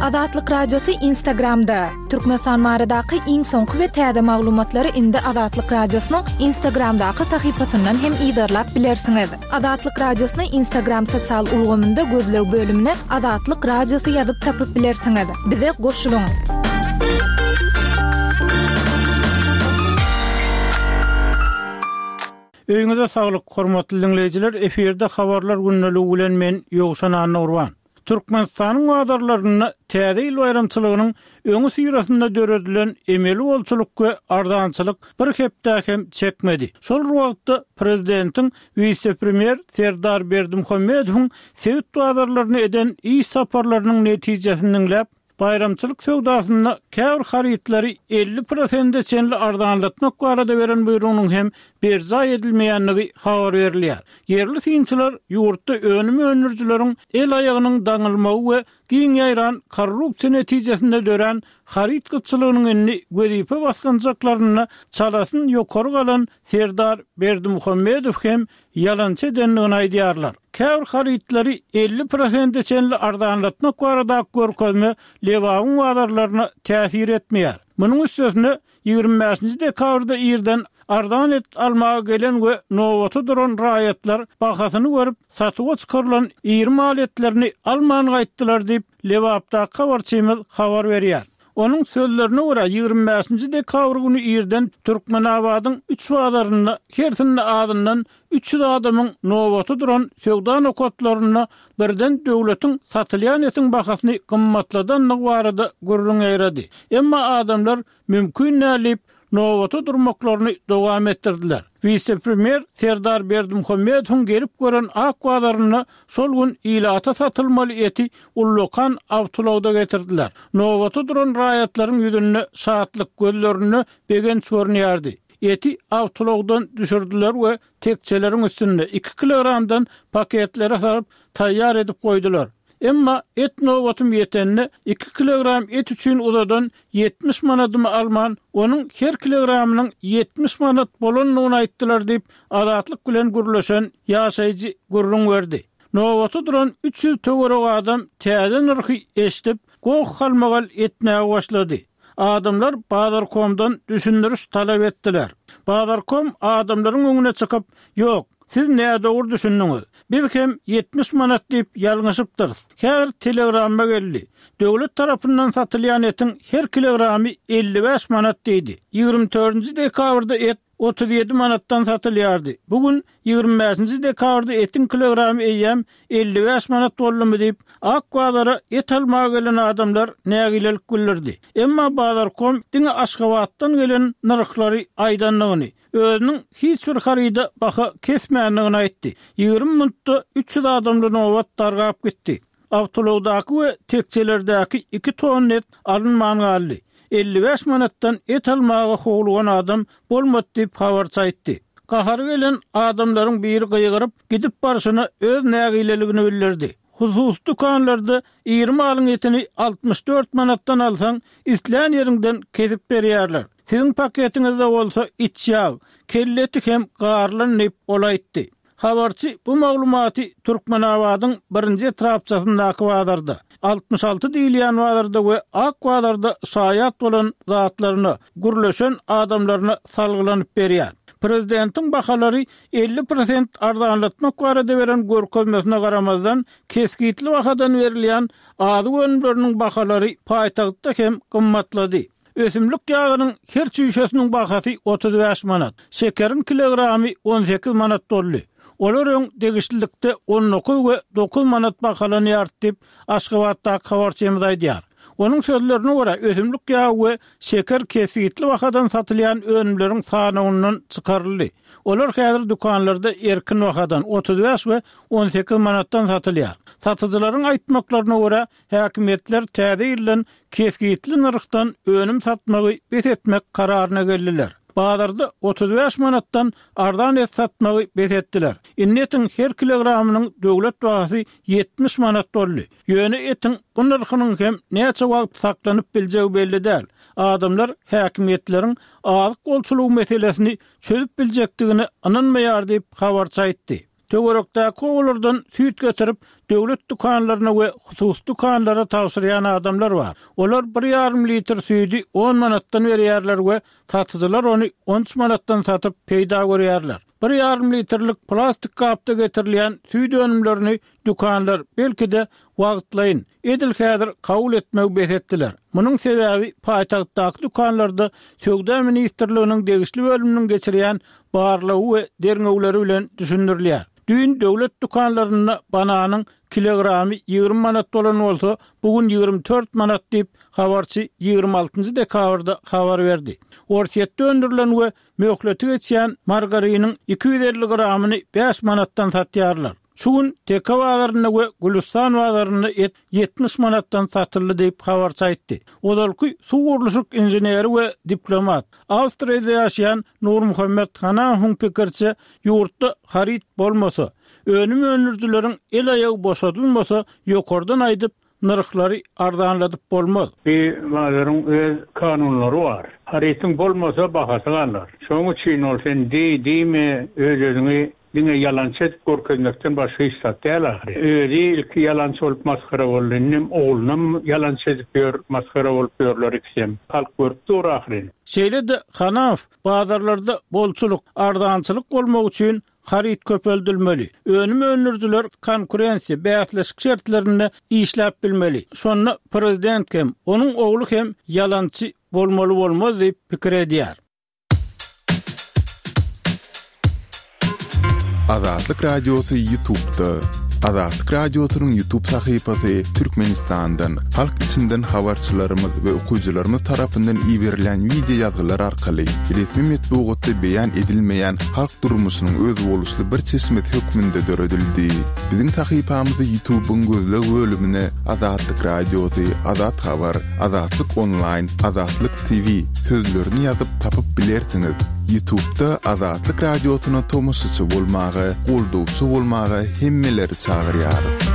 Azatlyk Radiosy Instagramda! Türkmenistan baradaky iň soňky we täze maglumatlary indi Azatlyk Radiosynyň Instagramdaky sahypasyndan hem yzarlap bilersiňiz. Azatlyk Radiosyny Instagram sosial ulgamynda gözleg bölümine Azatlyk Radiosy ýazyp tapyp bilersiňiz. Bize goşulyň! Öýüňize saglyk, hormatly diňleýjiler, efirde Habarlar gündeligi bilen men Ýowşan Annagurban. Türkmenistanyň bazarlarynda Täze ýyl baýramçylygynyň öňüsyrasynda döredilen emeli bolçulyk we arzançylyk bir hepdä hem çekmedi. Şol bir wagtda, prezidentiň wise-premýer Serdar Berdimuhamedowyň sebit bazarlaryna eden iş saparlarynyň netijesini diňläp, Baýramçylyk söwdasynda käbir harytlary 50 prosente çenli arzanlatmak barada beren buýrugynyň hem berjaý edilmeýändigi habar berilýär. Ýerli synçylar ýurtda önüm öndürijileriň el-aýagynyň daňylmagy we giň ýaýran korrupsiýa netijesinde dörän haryt gytçylygynyň indi wezipe basgançaklarynda çalasyn ýokary galan Serdar Berdimuhamedow hem ýalançy edendigini aýdýarlar. Käbir harytlary 50 prosente çenli arzanlatmak baradaky görkezme Lebabyň bazarlaryna täsir etmeýär. Munuň üstesine, 25-nji dekabrda irden arzan et almaga gelen we nobata duran raýatlar bahasyny görüp, satuwa çykarylan iri mal etlerini alman gaýtdylar diýip, Lebapdaky habarçymyz habar berýär. Onuň sözlerine görä, 25-nji dekabr güni irden Türkmenabadyň üç bazarynda hersinde azyndan 300 adamyň nobata duran söwda nokatlarynda birden döwletiň satylýan etiň bahasyny gymmatladandygy barada gürrüň ýaýrady. Emma adamlar mümkin däl diýip, nobata durmaklaryny dowam etdirdiler. Wise-premýer Serdar Berdimuhamedowyň gelip gören ak bazarynda şol gün ilata satylmaly eti ullakan awtoulagda getirdiler. Nobata duran raýatlaryň ýüzünde şatlyk, gözlerinde begenç görünýärdi. Eti awtoulagdan düşürdiler we tekjeleriň üstünde iki kilogramdan paketlere salyp taýýar edip goýdular. Emma et nobatym ýetende, iki kilogram et üçin uzadan 70 manadymy alman, onuň her kilogramynyň 70 manat bolandygyny aýtdylar diýip, Azatlyk bilen gürleşen ýaşaýjy gürrüň berdi. Nobata duran 300 töweregi adam täze nyrhy eşidip, goh-galmagal etmäge başlady. Adamlar Bazarkomdan düşündiriş talap etdiler. Bazarkom adamlaryň öňüne çykyp, Ýok, siz nädogry düşündiňiz. Biz hem 70 manat diýip ýalňyşypdyrys. Häzir telegramma geldi. Döwlet tarapyndan satylýan etiň her kilogramy 55 manat diýdi. 24-nji dekabrda et 37 manatdan satylýardy. Bu gün, 25-nji dekabrda etiň kilogramy eýýäm 55 manat boldumy diýip, ak bazara et almaga gelen adamlar nägilelik bildirdi. Emma Bazarkom diňe Aşgabatdan gelen nyrhlary aýdandygyny, özüniň hiç bir haryda baha kesmändigini aýtdy. 20 minutda 300 adamly nobat dargap gitdi. Awtoulagdaky we tekjelerdäki iki tonna et alynman galdy. 55 manatdan et almaga howlugan adam bolmady diýip, habarçy aýtdy. Gahary gelen adamlaryň biri gygyryp, gidip barşyna öz nägileligini bildirdi. Hususy dükanlarda iri malyň etini 64 manatdan alsaň, islän ýeriňden kesip berýärler. Siziň paketiňizde bolsa iç ýag, kelle eti hem garylan diýip, ol aýtdy. Habarçy bu maglumaty Türkmenabadyň birinji etrapçasyndaky bazarda, 66 diýilýän bazarda we Ak bazarda şaýat bolan zatlaryna, gürleşen adamlaryna salgylanyp berýär. Prezidentiň bahalary 50 prosent arzanlatmak barada beren görkezmesine garamazdan, kesgitli bahadan berilýän azyk önümleriniň bahalary paýtagtda hem gymmatlady. Ösümlik ýagynyň her çüýşesiniň bahasy 35 manat, şekeriň kilogramy 18 manat boldy. Olar öň degişlilikde 19 we 9 manat bahalanýardy diýip, Aşgabatdaky habarçymyz aýdýar. Onuň sözlerine görä, ösümlik ýagy we şeker kesgitli bahadan satylýan önümleriň sanawyndan çykaryldy. Olar häzir dükanlarda erkin bahadan, 35 we 18 manatdan satylýar. Satyjylaryň aýtmaklaryna görä, Häkimiýetler täze ýyldan kesgitli nyrhdan önüm satmagy bes etmek kararyna geldiler. Bazarda 35 manatdan arzan et satmagy bes etdiler. Indi etiň her kilogramynyň döwlet bahasy 70 manat boldy. Ýöne etiň bu nyrhynyň hem näçe wagt saklanyp biljegi belli däl. Adamlar häkimiýetleriň azyk bolçulygy meselesini çözüp biljekdigine ynanmaýar diýip, habarçy aýtdy. Töwerekdäki obalardan süýt getirip, döwlet dükanlaryna we hususy dükanlara tabşyrýan adamlar bar. Olar bir ýarym litr süýdi on manatdan berýärler we satyjylar ony on üç manatdan satyp peýda görýärler. Bir ýarym litrlik plastik gapda getirilýän süýt önümlerini dükanlar, belki-de, wagtlaýyn, edil häzir kabul etmegi bes etdiler. Munuň sebäbi paýtagtdaky dükanlarda Söwda ministrliginiň degişli bölüminiň geçirýän barlagy we derňewleri bilen düşündirilýär. Düýn döwlet dükanlarynda bananyň kilogramy 20 manat bolan bolsa, bu gün 24 manat diýip, habarçy 26 dekabrda habar berdi. Orsýetde öndürilen we möhleti geçýän margariniň 250 gramyny 5 manatdan satýarlar. Şu gün Teke bazarynda we Gülüstan bazarynda et 70 manatdan satyldy diýip, habarçy aýtdy. Ozalky suw gurluşyk inženeri we diplomat, Awstriýada ýaşaýan Nurmuhammet Hanahowyň pikiriçe, ýurtda haryt bolmasa, önüm öndürijileriň el-aýagy boşadylmasa, ýokardan aýdyp, nyrhlary arzanladyp bolmaz. Bu bazaryň öz kanunlary bar. Harytyň bolmasa bahasy galar. Şonuň üçin ol sen diý, diýme, öz-özüňi diňe ýalançy edip görkezmekden başga hiç zat däl ahyry. Özi ilki ýalançy bolup masgara boldy, indem oglunam ýalançy edip ýör, masgara bolup ýörler ikisem. Halk görüp dur ahyryn. Şeýle-de Hanaow bazarlarda bolçulyk, arzançylyk bolmagy üçin haryt köpeldilmeli, önüm öndürijiler konkurensiýa, bäsleşik şertlerinde işläp bilmeli. Şonda prezident hem, onuň ogly hem ýalançy bolmaly bolmaz diýip pikir edýär. Azatlyk Radiosy Ýutubda. Azatlyk Radiosynyň Ýutub sahypasy Türkmenistandan, halk içinden habarçylarymyz we okyjylarymyz tarapyndan iberilýän wideo ýazgylar arkaly resmi metbugatda beýan edilmeýän halk durmuşynyň özboluşly bir çeşmesi hökmünde döredildi. Biziň sahypamyzy Ýutubyň gözleg bölümine Azatlyk Radiosy, Azat Habar, Azatlyk Onlaýn, Azatlyk TV sözlerini ýazyp tapyp bilersiňiz. Ýutubda Azatlyk Radiosyna tomaşaçy bolmaga, goldawçy bolmaga hemmeleri çagyrýarys.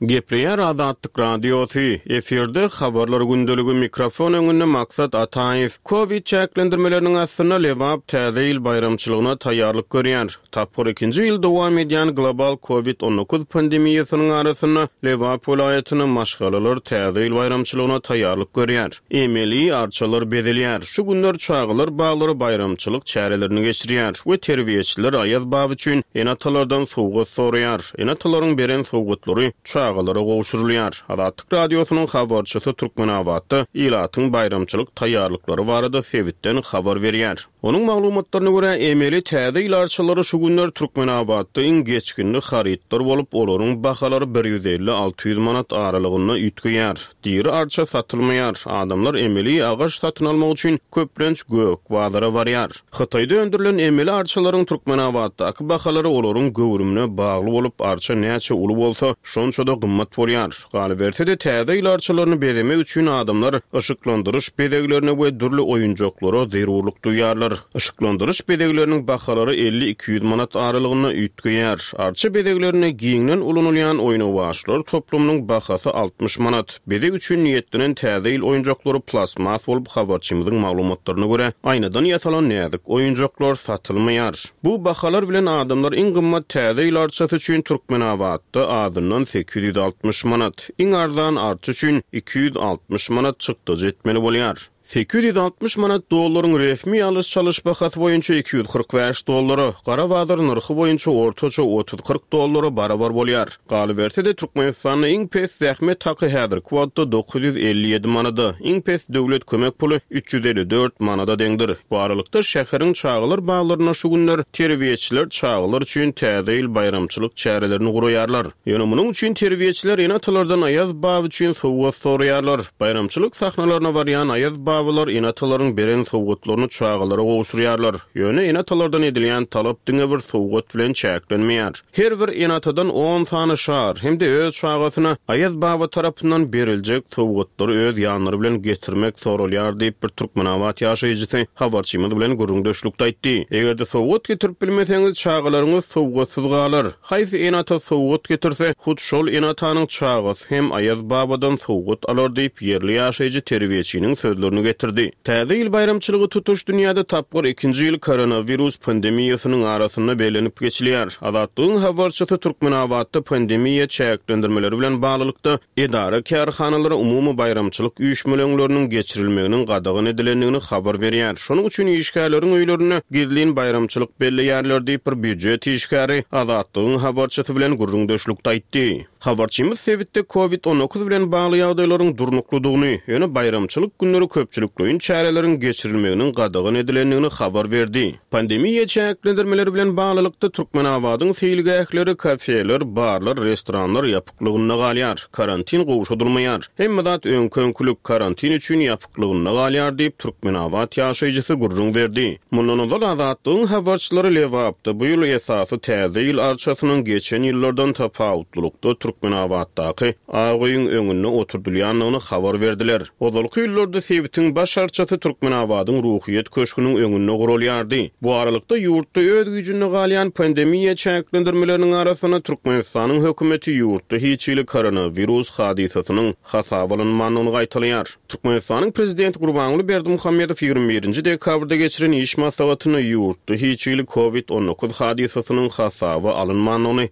Gepleýär Azatlyk Radiosy, efirde Habarlar gündeligi, mikrofon öňünde Maksat Ataýew. Kowid çäklendirmeleriniň astynda Lebap Täze ýyl baýramçylygyna taýýarlyk görýär. Tapgyr ikinji ýyl dowam edýän global Covid 19 pandemiýasynyň arasynda Lebap welaýatynda maşgalalar Täze ýyl baýramçylygyna taýýarlyk görýär. Emeli arçalar bezelýär. Şu günler çagalar baglary baýramçylyk çärelerini geçirýär we terbiýeçiler Aýaz baba üçin ene-atalardan sowgat soraýar. Ene-atalaryň beren sowgatlary çagalara gowşurylýar. Azatlyk Radiosynyň habarçysy Türkmenabatda ilatyň baýramçylyk taýýarlyklary barada sebitden habar berýär. Onuň maglumatlaryna görä, emeli Täze ýyl arçalary şu günler Türkmenabatda iň geçginli harytlar bolup, olaryň bahalary bir 150, 600 manat aralygynda üýtgeýär. Diri arça satylmaýar. Adamlar emeli agaç satyn almak üçin köplenç gök bazara barýar. Hytaýda öndürilen emeli arçalaryň Türkmenabatdaky bahalary olaryň göwrümine bagly bolup, arça näçe uly bolsa, şonça-da gymmat bolýar. Galyberse-de, Täze ýyl arçalaryny bezemek üçin adamlar yşyklandyryş bezeglerine we dürli oýunjaklara zerurlyk duýýarlar. Yşyklandyryş bezegleriniň bahalary 50-200 manat aralygynda üýtgeýär. Arça bezeglerinde giňden ulanylýan oýnawaçlar toplumynyň bahasy 60 manat. Bezeg üçin niýetlenen Täze ýyl oýunjaklary plastmas bolup, habarçymyzyň maglumatlaryna görä, aýnadan ýasalan näzik oýunjaklar satylmaýar. Bu bahalar bilen adamlar iň gymmat Täze ýyl arçasy üçin Türkmenabatda azyndan 860 manat, iň arzan arça üçin 260 manat çykdajy etmeli bolýar. 860 manat dollaryň resmi alyş-çalyş bahasy boýunça 245 dollara, gara bazar nyrhy boýunça ortaça otuz-kyrk dollara barabar bolýar. Galyberse-de, Türkmenistanda iň pes zähmet haky häzirki wagtda 957 manada, iň pes döwlet kömek puly 354 manada deňdir. Bu aralykda, şäheriň çagalar baglarynda şu günler terbiýeçiler çagalar üçin Täze ýyl baýramçylyk çärelerini guraýarlar. Ýöne munuň üçin terbiýeçiler ene-atalardan Aýaz baba üçin sowgat soraýarlar. Baýramçylyk sahnalaryna barýan Aýaz babalar ene-atalaryň beren sowgatlaryny çagalara gowşurýarlar. Ýöne ene-atalardan edilýän talap diňe bir sowgat bilen çäklenmeýär. Her bir ene-atadan on sany şar hem-de öz çagasyna Aýaz baba tarapyndan beriljek sowgatlary öz ýanlary bilen getirmek soralýar diýip, bir türkmenabat ýaşaýjysy habarçymyz bilen gürrüňdeşlikde aýtdy. Eger-de sowgat getirip bilmeseňiz, çagalaryňyz sowgatsyz galar. Haýsy ene-ata sowgat getirse, hut şol ene-atanyň çagasy hem Aýaz babadan sowgat alar diýip, ýerli ýaşaýjy terbiýeçiniň sözlerini getirdi. getirdi. Täze ýyl baýramçylygy tutuş dünýäde tapgyr ikinji ýyl koronawirus pandemiýasynyň arasynda bellenip geçilýär. Azatlygyň habarçysy Türkmenabatda pandemiýa çäklendirmeleri bilen baglylykda edara-kärhanalara umumy baýramçylyk üýşmeleňleriniň geçirilmeginiň gadagan edilendigini habar berýär. Şonuň üçin işgärleriň öýlerinde gizlin baýramçylyk belleýärler diýip, bir býujet işgäri Azatlygyň habarçysy bilen gürrüňdeşlikde aýtdy. Habarçymyz sebitde Covid 19 bilen bagly ýagdaýlaryň durnuklydygyny, ýöne baýramçylyk günleri köpçülikleýin çäreleriň geçirilmeginiň gadagan edilendigini habar berdi. Pandemiýa çäklendirmeleri bilen baglylykda, Türkmenabadyň seýilgähleri, kafeler, barlar, restoranlar ýapyklygynda galýar. Karantin gowşadylmaýar. Hemme zat öňki-öňkülik, karantin üçin ýapyklygynda galýar diýip, türkmenabat ýaşaýjysy gürrüň berdi. Mundan ozal Azatlygyň habarçylary Lebapda bu ýyl esasy Täze ýyl arçasynyň geçen ýyllardan tapawutlylykda Türkmenabatdaky Ak öýüň öňünde oturdylýandygyny habar berdiler. Ozalky ýyllarda sebitiň baş arçasy Türkmenabadyň Ruhyýet köşgüniň öňünde guralýardy. Bu aralykda, ýurtda öz güýjünde galýan pandemiýa çäklendirmeleriniň arasynda Türkmenistanyň hökümeti ýurtda hiç hili koronawirus hadysasynyň hasaba alynmandygyny gaýtalaýar. Türkmenistanyň Prezidenti Gurbanguly Berdimuhamedow 21 nji dekabrda geçiren iş maslahatynda ýurtda hiç hili Covid 19 hadysasynyň hasaba alynmandygyny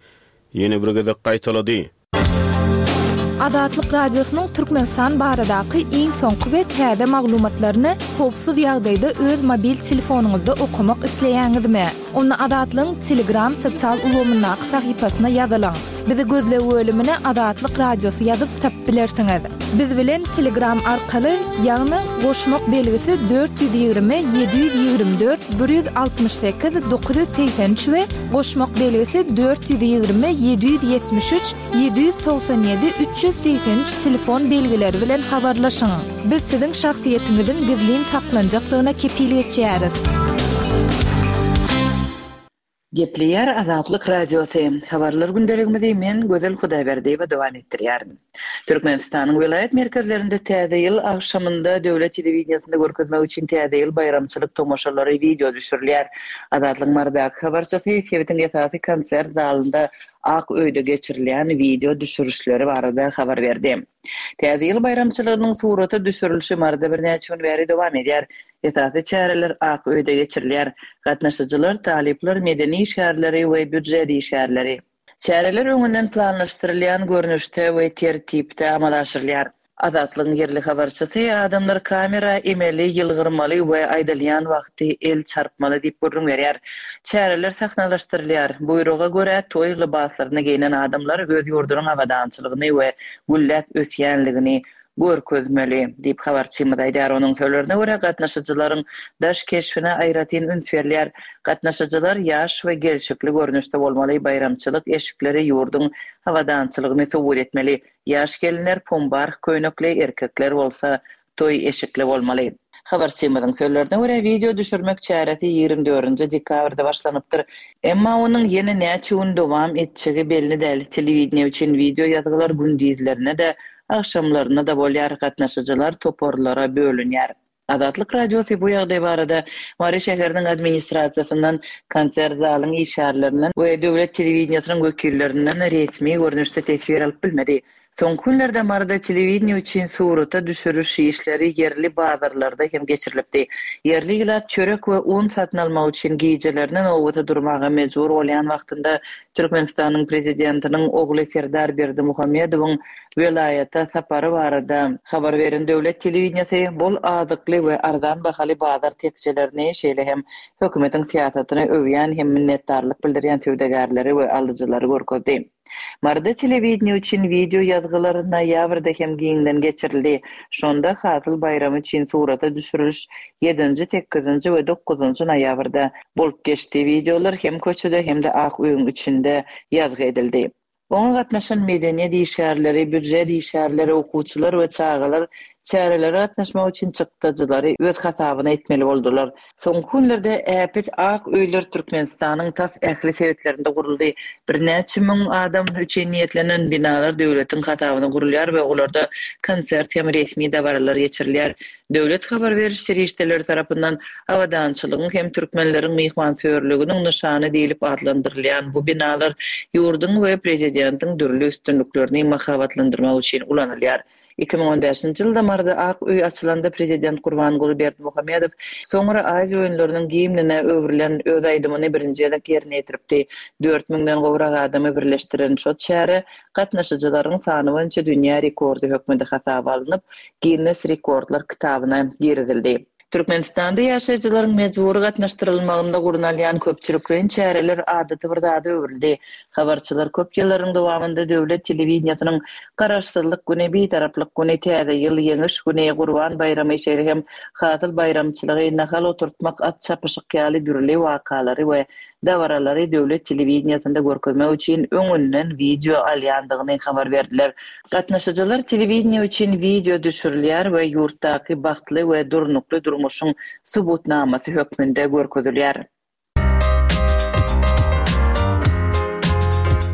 ýene bir gezek gaýtalady. Azatlyk Radiosynyň Türkmenistan baradaky iň soňky we täze maglumatlaryny howpsuz ýagdaýda öz mobil telefonyňyzda okamak isleýäňizmi? Onda Azatlygyň Telegram sosial ulgamyndaky sahypasyna ýazylyň. Bizi gözleg bölümine Azatlyk Radiosy ýazyp tapyp bilersiňiz. Biz bilen Telegram arkaly, ýagny goşmak belgisi 420 724 168 983 we Goşmak belgisi 420 773 797 383 telefon belgileri bilen habarlaşyň. Biz siziň şahsyýetiňiziň gizlin saklanjakdygyna kepil geçýäris. Gepleýär Azatlyk Radiosy, Habarlar gündeligimizi men Gözel Hudaýberdiýewa dowam etdirýärin. Türkmenistanyň welaýat merkezlerinde Täze ýyl agşamynda döwlet telewideniýesinde görkezmek üçin Täze ýyl baýramçylyk tomaşalary wideo düşürilýär. Azatlygyň Marydaky habarçysy sebitiň esasy konsert zalynda Ak öýde geçirilýän wideo düşürişleri barada habar berdi. Täze ýyl baýramçylygynyň surata düşürilişi Maryda birnäçe gün bäri dowam edýär. Esasy çäreler Ak öýde geçirilýär. Gatnaşyjylar, talyplar, medeni işgärleri we býujet işgärleri. Çäreler öňünden planlaşdyrylýan görnüşde we tertipde amala aşyrylýar. Azatlygyň ýerli habarçysy adamlar kamera emeli ýylgyrmaly we aýdylýan wagty el çarpmaly diýip gürrüň berýär. Çäreler sahnalaşdyrylýar. Buýruga görä, toý lybaslaryny geýnen adamlar öz ýurdunyň abadançylygyny we gülläp ösýänligini görkezmeli, diýip, habarçymyz aýdýar. Onuň sözlerine görä, gatnaşyjylaryň daş keşbine aýratyn üns berilýär. Gatnaşyjylar ýaş we gelşikli görnüşde bolmaly, baýramçylyk eşikleri ýurduň abadançylygyny subut etmeli. Ýaş gelinler pombarh köýnekli, erkekler bolsa toý eşikli bolmaly. Habarçymyzyň sözlerine görä, wideo düşürmek çäresi 24-nji dekabrda başlanypdyr. Emma onuň ýene näçe gün dowam etjegi belli däl. Telewideniýe üçin wideo ýazgylar gündizlerine-de, agşamlaryna-da bolýar, gatnaşyjylar toparlara bölünýär. Azatlyk Radiosy bu ýagdaý barada Mary şäheriniň administrasiýasyndan, konsert zalyň işgärlerinden we döwlet telewideniýesiniň wekillerinden resmi görnüşde teswir alyp bilmedi. Soňky günlerde Maryda telewideniýe üçin surata düşüriş işleri ýerli bazarlarda hem geçirilipdi. Ýerli ilat çörek we un satyn almak üçin gijelerine nobata durmaga mejbur bolýan wagtynda Türkmenistanyň Prezidentiniň ogly Serdar Berdimuhamedowyň welaýata sapary barada habar beren döwlet telewideniýesi bol azykly we arzan bahaly bazar tekjelerini, şeýle hem hökümetiň syýasatyny öwýän hem minnetdarlyk bildirýän söwdagärleri we alyjylary görkezdi. Maryda telewideniýe üçin wideo ýazgylar noýabrda hem giňden geçirildi. Şonda Hasyl baýramy üçin surata düşüriliş ýedinji, sekizinji we dokuzynjy noýabrda bolup geçdi. Wideolar hem köçede, hem-de Ak öýüň içinde ýazgy edildi. Oňa gatnaşan medeniýet işgärleri, býujet işgärleri, okuwçylar we çagalar çärelere gatnaşmak üçin çykdajylary öz hasabyna etmeli boldular. Soňky günlerde äpet ak öýler Türkmenistanyň tas ähli sebitlerinde guruldy. Birnäçe müň adam üçin niýetlenen binalar döwletiň hasabyna gurulýar we olarda konsert hem resmi dabaralar geçirilýär. Döwlet habar beriş serişdeleri tarapyndan abadançylygyň hem türkmenleriň myhmansöýerliginiň nyşany diýlip atlandyrylýan bu binalar ýurduň we prezidentiň dürli üstünliklerini mahabatlandyrmak üçin ulanylýar. 2015-nji ýylda Maryda Ak öý açylanda prezident Gurbanguly Berdimuhamedow soňra Aziýa oýunlarynyň gimnine öwrülen öz aýdymyny birinji gezek ýerine ýetiripdi. Dört müňden gowrak adamy birleşdiren şo çäre gatnaşyjylaryň sany boýunça dünýä rekordy hökmünde hasaba alnyp, Ginnes rekordlar kitabyna girizildi. Türkmenistanda ýaşaýjylaryň mejbury gatnaşdyrylmagynda gurnalýan köpçülikleýin çäreler adaty bir zada öwrüldi. Habarçylar köp ýyllaryň dowamynda döwlet telewideniýesiniň Garaşsyzlyk güni, Bitaraplyk güni, Täze ýyl, Ýeňiş güni, Gurban baýramy, şeýle hem Hasyl baýramçylygy, nahal oturtmak, at çapyşyk ýaly dürli wakalary we dabaralary döwlet telewideniýesinde görkezmek üçin öňünden wideo alýandygyny habar berdiler. Gatnaşyjylar telewideniýe üçin wideo düşürilýär we ýurtdaky bagtly we durnukly durmuşyň subutnamasy hökmünde görkezilýär.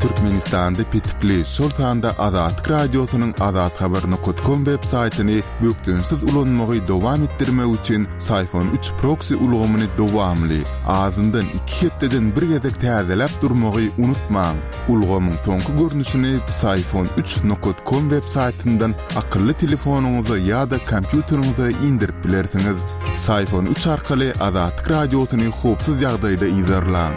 Türkmenistanda petikli, şol sanda Azatlyk Radiosynyň azathabar nokat kom web saýtyny bökdençsiz ulanmagy dowam etdirmek üçin Syfon üç proksi ulgamyny dowamly, azyndan iki hepdeden bir gezek täzeläp durmagy unutmaň. Ulgamyň soňky görnüşini Psiphon üç nokat kom web saýtyndan akylly telefonyňyza ýa-da kompýuteriňize indirip bilersiňiz. Psiphon üç arkaly Azatlyk Radiosyny howpsuz ýagdaýda yzarlaň.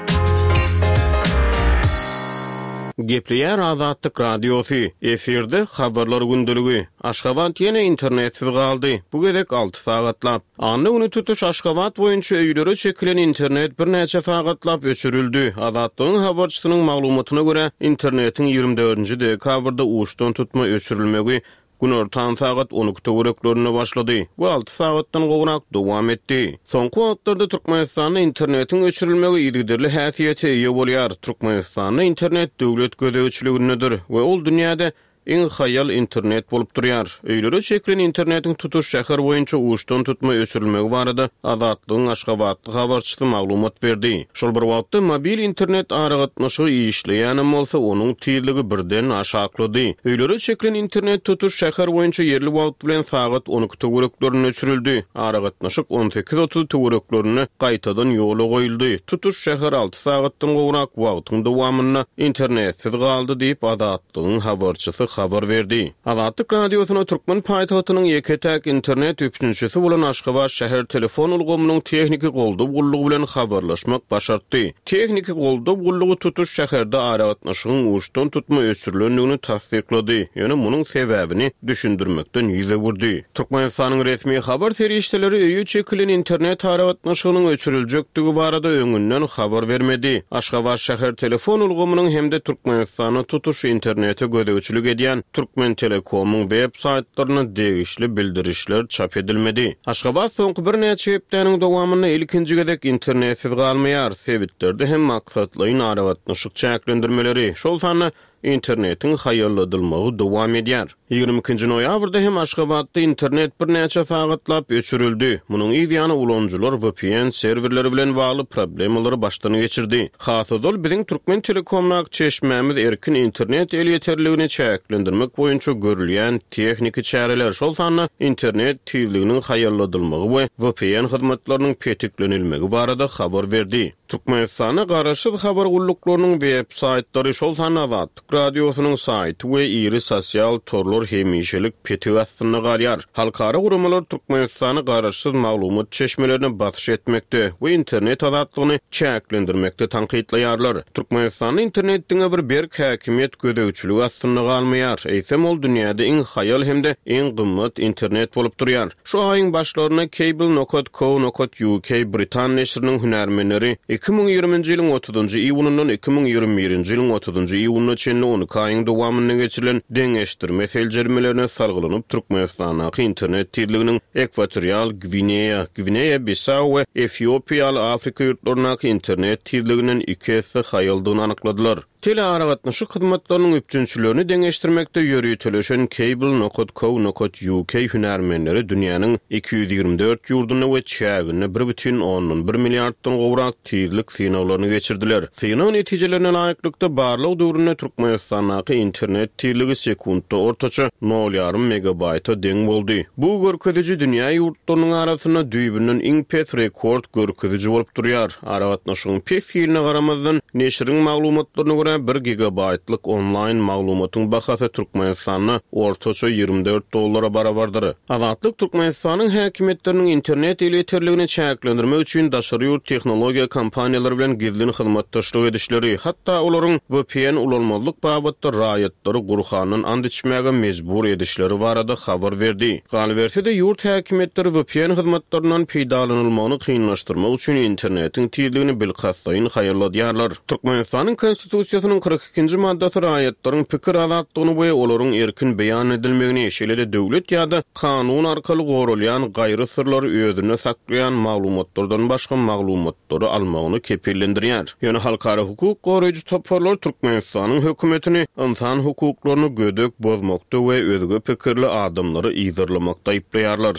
Gepleýär Azatlyk Radiosy, efirde Habarlar gündeligi. Aşgabat ýene internetsiz galdy, bu gezek alty sagatlap. Anna güni tutuş Aşgabat boýunça öýlere çekilen internet birnäçe sagatlap öçürildi. Azatlygyň habarçysynyň maglumatyna görä, internetiň 24-nji dekabrda uçdan-tutma öçürilmegi günortan sagat 12 töwereklerinde başlady we alty sagatdan gowrak dowam etdi. Soňky wagtlarda Türkmenistanda internetiň öçürilmegi yzygiderli häsiýete eýe bolýar. Türkmenistanda internet döwlet gözegçiligindedir we ol dünýäde Iň haýal internet bolup durýar. Öýlere çekilen internetiň tutuş şäher boýunça uçdan-tutma öçürilmegi barada Azatlygyň aşgabatly habarçysy maglumat berdi. Şol bir wagtda, mobil internet aragatnaşygy işleýänem bolsa, onuň tizligi birden aşaklady. Öýlere çekilen internet tutuş şäher boýunça ýerli wagt bilen sagat 12 töwereklerinde öçürildi. Aragatnaşyk 18.30 töwereklerinde gaýtadan ýola goýuldy. Tutuş şäher alty sagatdan gowrak wagtyň dowamynda internetsiz galdy diýip, Azatlygyň habarçysy habar berdi. Azatlyk Radiosyna türkmen paýtagtynyň ýeke-täk internet üpjünçisi bolan Aşgabat şäher telefon ulgamynyň tehniki goldaw gullugy bilen habarlaşmak başartdy. Tehniki goldaw gullugy tutuş şäherde aragatnaşygyň uçdan-tutma öçürilendigini tassyklady, ýöne munuň sebäbini düşündirmekden ýüz öwürdi. Türkmenistanyň resmi habar serişdeleri öýe çekilen internet aragatnaşygynyň öçüriljekdigi barada öňünden habar bermedi. Aşgabat şäher telefon ulgamynyň hem-de Türkmenistanda tutuş internete gözegçilik edýän Türkmentelekomyň web saýtlarynda degişli bildirişler çap edilmedi. Aşgabat soňky birnäçe hepdäniň dowamynda ilkinji gezek internetsiz galmaýar, sebitlerde hem maksatlaýyn aragatnaşyk çäklendirmeleri, şol sanda Internetiň haýalladylmagy dowam edýär. 22-nji noýabrda hem Aşgabatda internet birnäçe sagatlap öçürildi. Munuň yz ýany ulanyjylar vpn serwerleri bilen bagly problemalary başdan geçirdi. Has ozal biziň Türkmen Telekomdaky çeşmämiz erkin internet elýeterligini çäklendirmek boýunça görülýän tehniki çäreler, şol sanda internet tizliginiň haýalladylmagy we vpn hyzmatlarynyň petiklenilmegi barada habar berdi. Türkmenistanda garaşsyz habar gulluklarynyň web saýtlary, şol sanda Azatlyk Radiosynyň saýty we iri sosial torlar hemişelik petik astynda galýar. Halkara guramalar Türkmenistany garaşsyz maglumat çeşmelerine basyş etmekde we internet azatlygyny çäklendirmekde tankytlaýarlar. Türkmenistanda internet diňe bir berk häkimiýet gözegçiligi astynda galmaýar, eýsem ol dünýäde iň haýal hem-de iň gymmat internet bolup durýar. Şu aýyň başlarynda Cable nokat co nokat uk britan neşiriniň hünärmenleri 2020-nji ýylyň otuzynjy iýunyndan 2021-nji ýylyň otuzynjy iýunyna çenli on iki aýyň dowamynda geçirilen deňeşdirme seljermelerine salgylanyp, Türkmenistandaky internet tizliginiň Ekwatorial Gwineýa, Gwineýa-Bissau we Efiopiýa ýaly Afrika ýurtlaryndaky internet tizliginden iki esse haýaldygyny anykladylar. Telearagatnaşyk hyzmatlarynyň üpjünçilerini deňeşdirmekde ýöriteleşen Cable nokat co nokat uk hünärmenleri dünýäniň 224 ýurdunda we çäginde bir bütin ondan bir milliarddan gowrak tizlik synaglaryny geçirdiler. Synag netijelerine laýyklykda, barlag döwründe Türkmenistandaky internet tizligi sekuntda ortaça nol ýarym megabaýta deň boldy. Bu görkeziji dünýä ýurtlarynyň arasynda düýbünden iň pes rekord görkeziji bolup durýar. Aragatnaşygyň pes hiline garamazdan, neşiriň maglumatlaryna görä, görä, bir gigabaýtlyk onlaýn maglumatyň bahasy Türkmenistanda ortaça 24 dollara barabardyr. Azatlyk Türkmenistanyň häkimiýetleriniň internet elýeterligini çäklendirmek üçin daşary ýurt tehnologiýa kompaniýalary bilen gizlin hyzmatdaşlyk edişleri, hatda olaryň vpn ulanmazlyk babatda raýatlary Gurhandan ant içmäge mejbur edişleri barada habar berdi. Galyberse-de, ýurt häkimiýetleri vpn hyzmatlaryndan peýdalanylmagyny kynlaşdyrmak üçin internetiň tizligini bilkastlaýyn haýalladýarlar. Türkmenistanyň Konstitusiýasynyň 42-nji maddasy raýatlaryň pikir azatlygyny we olaryň erkin beýan edilmegini, şeýle-de döwlet ýa-da kanun arkaly goralýan gaýry syrlary özünde saklaýan maglumatlardan başga maglumatlary almagyny kepillendirýär. Ýöne halkara hukuk goraýjy toparlar Türkmenistanyň hökümetini ynsan hukuklaryny gödek bozmakda we özge pikirli adamlary yzarlamakda aýyplaýarlar.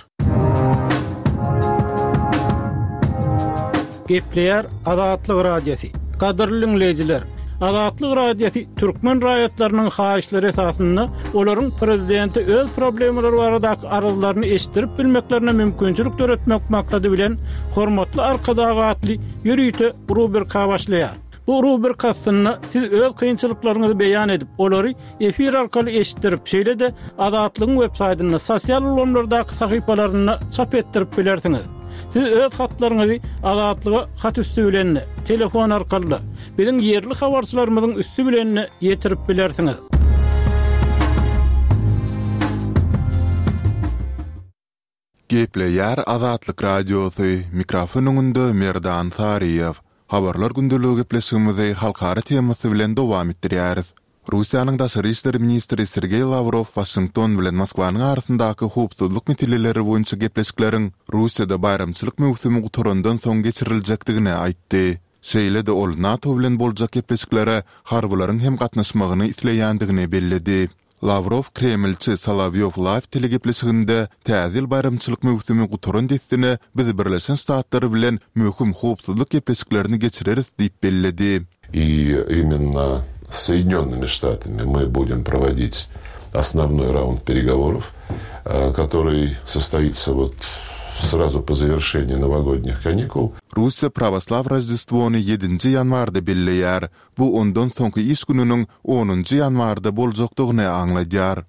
Gepleýär Azatlyk Radiosy. Gadyrly diňleýjiler! Azatlyk Radiosy türkmen raýatlarynyň haýyşlary esasynda olaryň prezidente öz problemalary baradaky arzlaryny eşitdirip bilmeklerine mümkinçilik döretmek maksady bilen Hormatly Arkadag atly ýörite rubrika başlaýar. Bu rubrika astynda siz öz kynçylyklaryňyzy beýan edip, olary efir arkaly eşitdirip, şeýle-de Azatlygyň websaýtynda, sosial ulgamlardaky sahypalarynda çap etdirip bilersiňiz. Siz öz hatlaryňyzy Azatlyga hat üsti bilen-de, telefon arkaly-da, biziň ýerli habarçylarymyzyň üsti bilen-de ýetirip bilersiňiz. Gepleýär Azatlyk Radiosy, mikrofon öňünde Merdan Saryýew. Habarlar gündeligi gepleşigimizi halkara temasy bilen dowam etdirýäris. Russiýanyň daşary işler ministri Sergeý Lawrow Waşington bilen Moskwanyň arasyndaky howpsuzlyk meseleleri boýunça gepleşikleriň Russiýada baýramçylyk möwsümi gutarandan soň geçiriljekdigini aýtdy. Şeýle-de ol NATO bilen boljak gepleşiklere harbylaryň hem gatnaşmagyny isleýändigini belledi. Lawrow Kremlçi Solowýow Live telegepleşiginde Täze ýyl baýramçylyk möwsümi gutaran dessine biz Birleşen Ştatlar bilen möhüm howpsuzlyk gepleşiklerini geçireris diýip belledi. I imенно s Соединенными Штатами мы будем проводить основной раунд переговоров, который состоится вот сразу по завершении новогодних каникул. Russiýa prawoslaw Roždestwony ýedinji ýanwarda belleýär. Bu ondan soňky iş gününiň onunjy ýanwarda boljakdygyny aňladýar.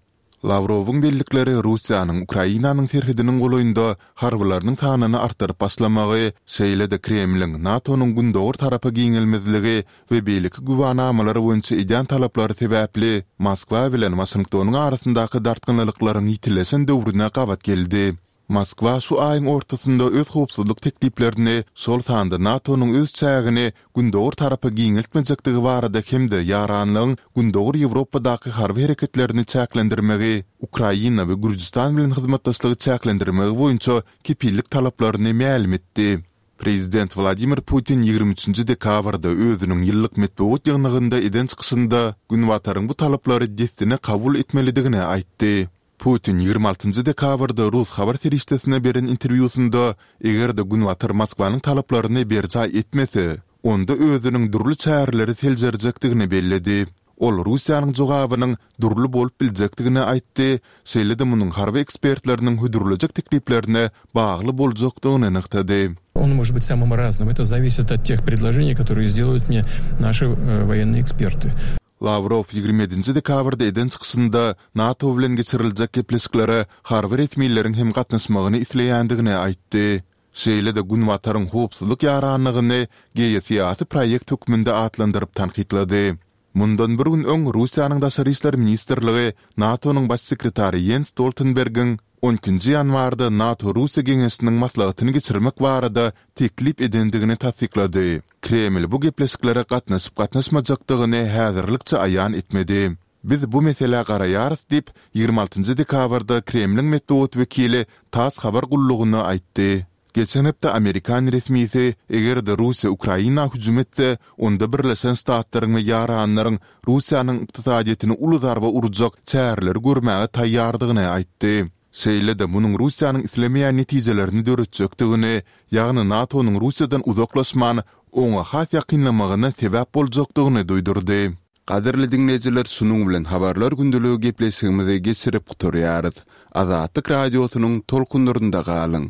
Lawrowyň bellikleri Russiýanyň Ukrainanyň serhediniň golaýynda harbylarynyň sanyny artdyryp başlamagy, şeýle-de Kremliň NATO-nyň gündogar tarapa giňelmezligi we beýleki güwänamalar boýunça edýän talaplary sebäpli Moskwa bilen Waşingtonyň arasyndaky dartgynlylyklaryň ýitileşen döwrüne gabat geldi. Moskwa şu aýyň ortasynda öz howpsuzlyk tekliplerini, şol sanda NATO-nyň öz çägini gündogar tarapa giňeltmejekdigi barada hem-de ýaranlygyň Gündogar Ýewropadaky harby hereketlerini çäklendirmegi, Ukraina we Gürjüstan bilen hyzmatdaşlygy çäklendirmegi boýunça kepillik talaplaryny mälim etdi. Prezident Wladimir Putin 23 dekabrda özüniň ýyllyk metbugat ýygnagynda eden çykyşynda Günbataryň bu talaplary dessine kabul etmelidigini aýtdy. Putin 26 dekabrda rus habar serişdesine beren interwýusynda, eger-de Günbatar Moskwanyň talaplaryny berjaý etmese, onda özüniň dürli çäreleri seljerjekdigini belledi. Ol Russiýanyň jogabynyň dürli bolup biljekdigini aýtdy, şeýle-de munuň harby ekspertleriniň hödürlejek tekliplerine bagly boljakdygyny nygtady. On может быть самым разным. Это зависит от тех предложений, которые сделают мне наши военные эксперты. Lawrow 27 dekabrda eden çykyşynda NATO bilen geçiriljek gepleşiklere harby resmileriň hem gatnaşmagyny isleýändigini aýtdy. Şeýle-de Günbataryň howpsuzlyk ýaranlygyny geosyýasy proýekt hökmünde atlandyryp tankytlady. Mundan bir gün öň Russiýanyň Daşary işler ministrligi NATO-nyň Baş sekretary Ýens Stoltenbergiň on ikinji ýanwarda NATO-Russiýa geňeşiniň maslahatyny geçirmek barada teklip edendigini tassyklady. Kreml bu gepleşiklere gatnaşyp-gatnaşmajakdygyny häzirlikçe aýan etmedi. Biz bu meselä garaýarys diýip, 26 dekabrda Kremliň metbugat wekili tass habar gullugyna aýtdy. Geçen hepde amerikan resmisi, eger-de Russiýa Ukraina hüjüm etse, onda Birleşen Ştatlaryň we ýaranlaryň Russiýanyň ykdysadyýetine uly zarba urjak çäreleri görmäge taýýardygyny aýtdy. Şeýle-de munuň Russiýanyň islemeýän netijelerini döretjekdigini, ýagny NATO-nyň Russiýadan uzaklaşman, oňa has ýakynlamagyna sebäp boljakdygyny duýdurdy. Gadyrly diňleýjiler şunuň bilen Habarlar gündeligi gepleşigimizi geçirip gutarýarys. Azatlyk Radiosynyň tolkunlarynda galyň!